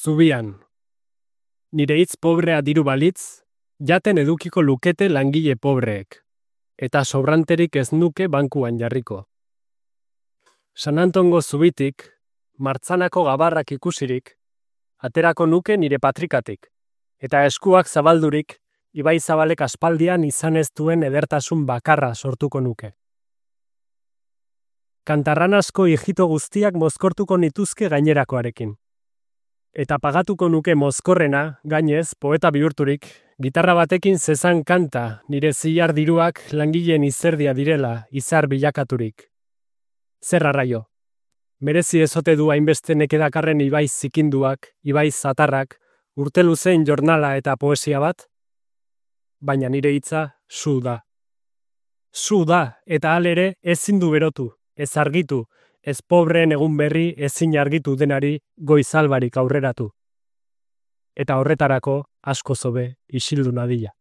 Zubian. Nire hitz pobrea diru balitz, jaten edukiko lukete langile pobreek, eta sobranterik ez nuke bankuan jarriko. San Antongo zubitik, martzanako gabarrak ikusirik, aterako nuke nire patrikatik, eta eskuak zabaldurik, Ibai Zabalek aspaldian izan ez duen edertasun bakarra sortuko nuke. Kantarranasko hijito guztiak mozkortuko nituzke gainerakoarekin. Eta pagatuko nuke mozkorrena, gainez, poeta bihurturik, gitarra batekin zezan kanta nire zilar diruak langileen izerdia direla izar bilakaturik. Zer arraio? Merezi ezote du hainbeste nekedakarren Ibai zikinduak, Ibai zatarrak, urte luzeen jornala eta poesia bat? Baina nire hitza zu da. Zu da, eta halere ezin du berotu, ez argitu, ez pobreen egun berri ezin argitu denari goizalbarik aurreratu. Eta horretarako asko zobe isildu nadila.